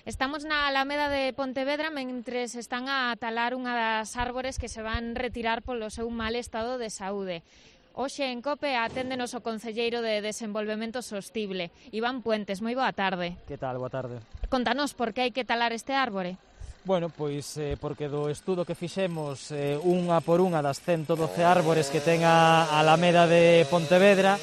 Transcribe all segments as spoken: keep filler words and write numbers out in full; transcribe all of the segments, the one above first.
Estamos na Alameda de Pontevedra mentres están a talar unha das árbores que se van retirar polo seu mal estado de saúde. Hoxe en COPE aténdenos o Concelleiro de Desenvolvemento Sostible, Iván Puentes. Moi boa tarde. Que tal? Boa tarde. Contanos por que hai que talar este árbore. Bueno, pois eh, porque do estudo que fixemos eh, unha por unha das ciento doce árbores que ten a Alameda de Pontevedra,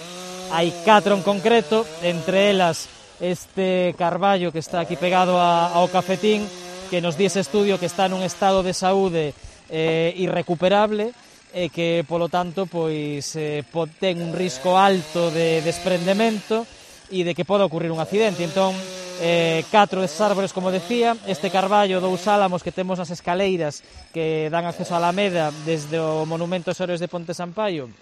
hai catro en concreto, entre elas este carballo que está aquí pegado a, ao cafetín, que nos di ese estudio que está nun estado de saúde eh, irrecuperable e que, polo tanto, pois eh, ten un risco alto de desprendemento e de que poda ocurrir un accidente. Entón, eh, catro desses árbores, como decía, este carballo dous álamos que temos nas escaleiras que dan acceso a Alameda desde o Monumento aos Heroes de Ponte Sampaio,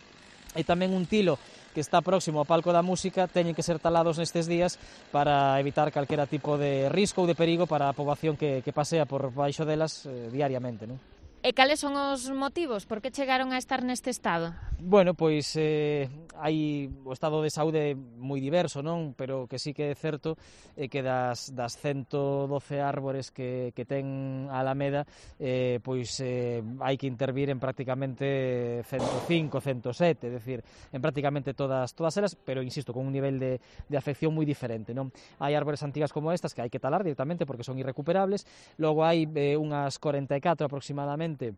e tamén un tilo que está próximo ao Palco da Música, teñen que ser talados nestes días para evitar calquera tipo de risco ou de perigo para a poboación que, que pasea por baixo delas eh, diariamente, non? E cales son os motivos? Por que chegaron a estar neste estado? Bueno, pois eh, hai o estado de saúde moi diverso, non? Pero que sí que é certo é que das, das ciento doce árbores que, que ten a Alameda, eh, pois eh, hai que intervir en prácticamente ciento cinco, ciento sete, é dicir, en prácticamente todas todas elas, pero insisto, con un nivel de, de afección moi diferente, non? Hai árbores antigas como estas que hai que talar directamente porque son irrecuperables, logo hai eh, unhas cuarenta e catro aproximadamente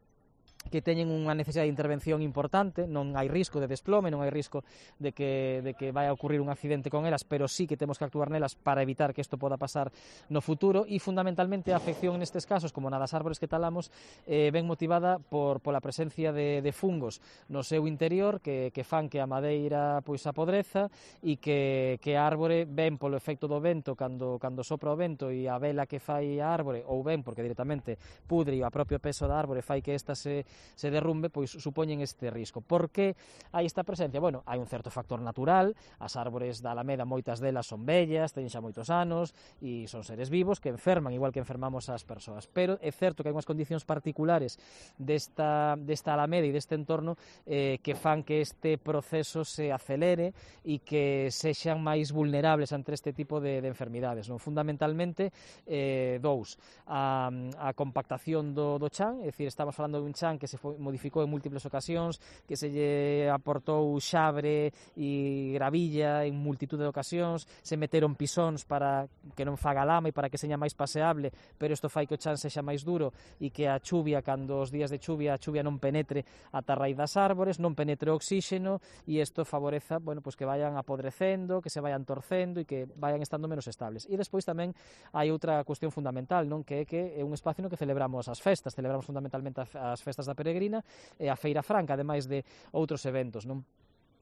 que teñen unha necesidade de intervención importante, non hai risco de desplome, non hai risco de que, de que vai a ocurrir un accidente con elas, pero sí que temos que actuar nelas para evitar que isto poda pasar no futuro, e fundamentalmente a afección nestes casos, como na das árbores que talamos, eh, ben motivada por pola presencia de, de fungos no seu interior que, que fan que a madeira pois apodreza e que, que a árbore ben polo efecto do vento cando, cando sopra o vento e a vela que fai a árbore, ou ben porque directamente pudre e o propio peso da árbore fai que esta se se derrumbe, pois supoñen este risco. Por que hai esta presencia? Bueno, hai un certo factor natural, as árbores da Alameda moitas delas son vellas, teñen xa moitos anos e son seres vivos que enferman, igual que enfermamos as persoas, pero é certo que hai unhas condicións particulares desta, desta Alameda e deste entorno eh, que fan que este proceso se acelere e que sexan máis vulnerables ante este tipo de, de enfermidades, non? Fundamentalmente, eh, dous, a, a compactación do, do chan, é dicir, estamos falando dun chan que se foi, modificou en múltiples ocasións, que se lle aportou xabre e gravilla en multitud de ocasións, se meteron pisóns para que non faga lama e para que seña máis paseable, pero isto fai que o chan sexa máis duro e que a chuvia, cando os días de chuvia, a chuvia non penetre ata a raíz das árbores, non penetre o oxíxeno e isto favoreza, bueno, pues que vayan apodrecendo, que se vayan torcendo e que vayan estando menos estables. E despois tamén hai outra cuestión fundamental, non? Que é que é un espacio no que celebramos as festas, celebramos fundamentalmente as festas da Peregrina e a Feira Franca, ademais de outros eventos, non?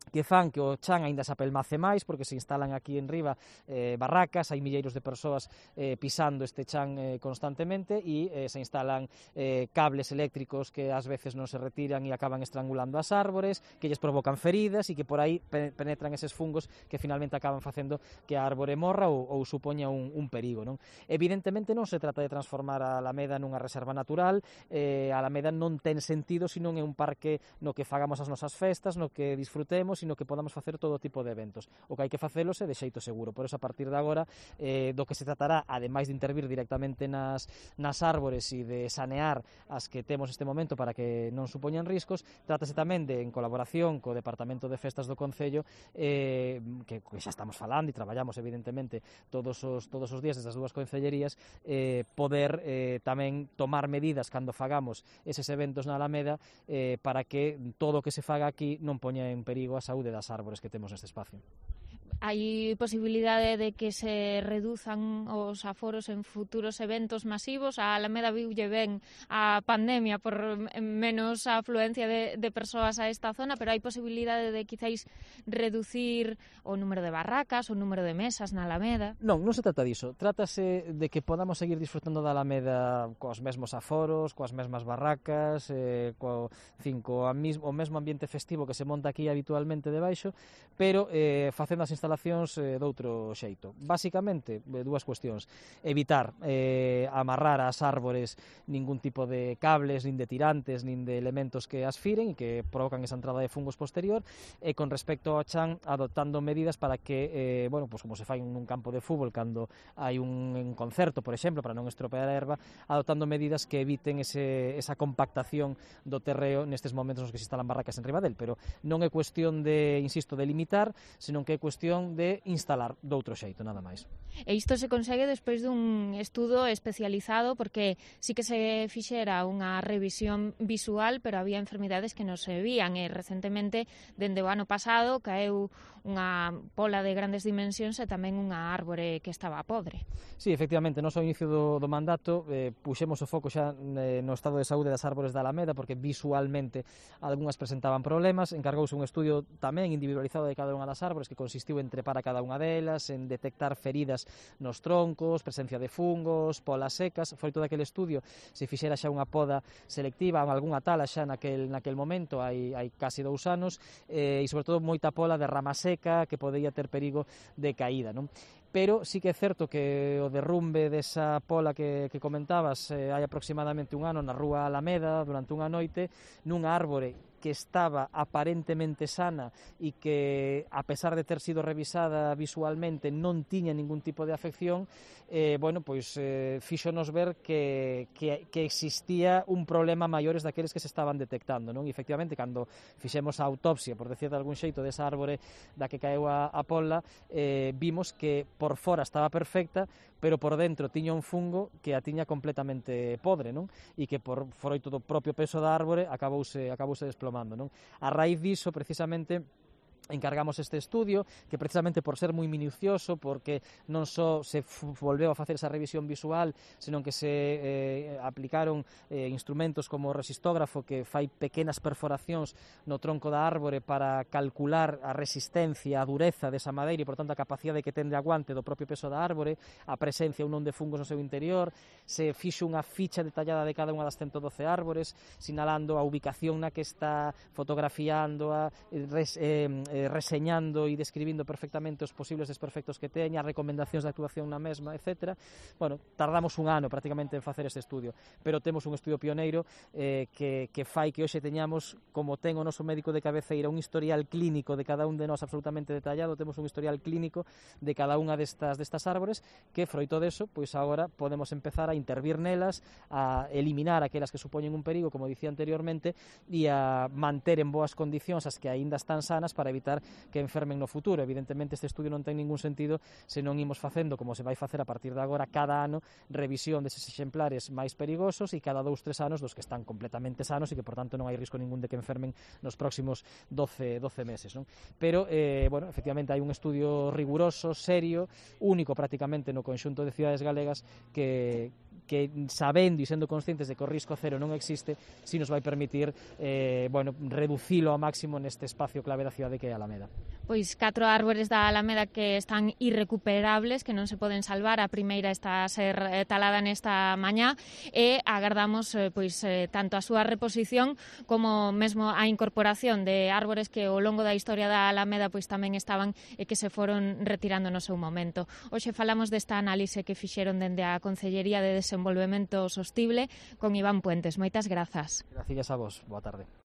Que fan que o chan aínda se apelmace máis porque se instalan aquí en riba eh, barracas, hai milleiros de persoas eh, pisando este chan eh, constantemente e eh, se instalan eh, cables eléctricos que ás veces non se retiran e acaban estrangulando as árbores, que lles provocan feridas e que por aí pe penetran eses fungos que finalmente acaban facendo que a árbore morra ou, ou supoña un, un perigo, non? Evidentemente non se trata de transformar a Alameda nunha reserva natural, eh, a Alameda non ten sentido se non é un parque no que fagamos as nosas festas, no que disfrutemos, sino que podamos facer todo tipo de eventos. O que hai que facelos é de xeito seguro. Por eso, a partir de agora, eh, do que se tratará, ademais de intervir directamente nas, nas árbores e de sanear as que temos este momento para que non supoñan riscos, trátase tamén de, en colaboración co Departamento de Festas do Concello, eh, que, que xa estamos falando e traballamos, evidentemente, todos os, todos os días desde as dúas concellerías, eh, poder eh, tamén tomar medidas cando fagamos eses eventos na Alameda eh, para que todo o que se faga aquí non poña en perigo a saúde das árbores que temos neste espacio. Hai posibilidade de que se reduzan os aforos en futuros eventos masivos? A Alameda viulle ben a pandemia por menos afluencia de, de persoas a esta zona, pero hai posibilidade de quizáis reducir o número de barracas, o número de mesas na Alameda? Non, non se trata diso. Trátase de que podamos seguir disfrutando da Alameda coas mesmos aforos, coas mesmas barracas, eh, co, fin, co a mis, o mesmo ambiente festivo que se monta aquí habitualmente debaixo, pero eh, facendo as instalacións eh, doutro xeito. Básicamente, eh, dúas cuestións. Evitar eh, amarrar ás árbores ningún tipo de cables, nin de tirantes, nin de elementos que as firen e que provocan esa entrada de fungos posterior, e con respecto ao chan, adoptando medidas para que, eh, bueno, pues como se fai nun campo de fútbol cando hai un, un concerto, por exemplo, para non estropear a erva, adoptando medidas que eviten ese, esa compactación do terreo nestes momentos nos que se instalan barracas en riba del, pero non é cuestión de, insisto, de limitar, senón que é cuestión de instalar doutro xeito, nada máis. E isto se consegue despois dun estudo especializado, porque sí que se fixera unha revisión visual, pero había enfermidades que non se vían, e recentemente, dende o ano pasado, caeu unha pola de grandes dimensións e tamén unha árbore que estaba podre. Sí, efectivamente, nos ao inicio do, do mandato eh, puxemos o foco xa eh, no estado de saúde das árbores da Alameda, porque visualmente algunhas presentaban problemas. Encargouse un estudio tamén individualizado de cada unha das árbores, que consistiu en trepar a cada unha delas, en detectar feridas nos troncos, presencia de fungos, polas secas. Froito daquele estudio se fixera xa unha poda selectiva, algunha tala xa naquel, naquel momento, hai, hai casi dous anos, eh, e sobre todo moita pola de rama seca que podía ter perigo de caída, non? Pero sí que é certo que o derrumbe desa pola que, que comentabas eh, hai aproximadamente un ano na rúa Alameda durante unha noite nunha árbore que estaba aparentemente sana e que, a pesar de ter sido revisada visualmente, non tiña ningún tipo de afección, eh, bueno, pois eh, fíxonos ver que, que, que existía un problema maiores daqueles que se estaban detectando, non? E, efectivamente, cando fixemos a autopsia, por decir de algún xeito, desa árbore da que caeu a, a pola, eh, vimos que por fora estaba perfecta, pero por dentro tiña un fungo que a tiña completamente podre, non? E que por froito do propio peso da árbore acabouse, acabouse desplomando, non? A raíz diso, precisamente, encargamos este estudio, que precisamente por ser moi minucioso, porque non só se volveu a facer esa revisión visual, senón que se eh, aplicaron eh, instrumentos como o resistógrafo, que fai pequenas perforacións no tronco da árbore para calcular a resistencia, a dureza desa madeira e, por tanto, a capacidade que ten de aguante do propio peso da árbore, a presencia ou non de fungos no seu interior. Se fixo unha ficha detallada de cada unha das ciento doce árbores, sinalando a ubicación na que está, fotografiando a res, eh, eh, reseñando e describindo perfectamente os posibles desperfectos que teña, recomendacións de actuación na mesma, etcétera. Bueno, tardamos un ano prácticamente en facer este estudio, pero temos un estudio pioneiro eh, que, que fai que hoxe teñamos, como ten o noso médico de cabeceira, un historial clínico de cada un de nós absolutamente detallado. Temos un historial clínico de cada unha destas, destas árbores, que froito deso, pois agora podemos empezar a intervir nelas, a eliminar aquelas que supoñen un perigo, como dicía anteriormente, e a manter en boas condicións as que aínda están sanas para evitar que enfermen no futuro. Evidentemente, este estudio non ten ningún sentido se non imos facendo, como se vai facer a partir de agora, cada ano, revisión deses exemplares máis perigosos e cada dous, tres anos dos que están completamente sanos e que, por tanto, non hai risco ningún de que enfermen nos próximos doce, doce meses, non? Pero, eh, bueno, efectivamente, hai un estudio riguroso, serio, único prácticamente no conxunto de cidades galegas que, que sabendo e sendo conscientes de que o risco cero non existe, si nos vai permitir eh, bueno, reducilo ao máximo neste espacio clave da cidade que é a Alameda. Pois catro árbores da Alameda que están irrecuperables, que non se poden salvar. A primeira está a ser talada nesta mañá e agardamos eh, pois eh, tanto a súa reposición como mesmo a incorporación de árbores que ao longo da historia da Alameda pois tamén estaban e que se foron retirando no seu momento. Hoxe falamos desta análise que fixeron dende a Consellería de Desenvolvemento Sostible con Iván Puentes. Moitas grazas. Gracias a vos. Boa tarde.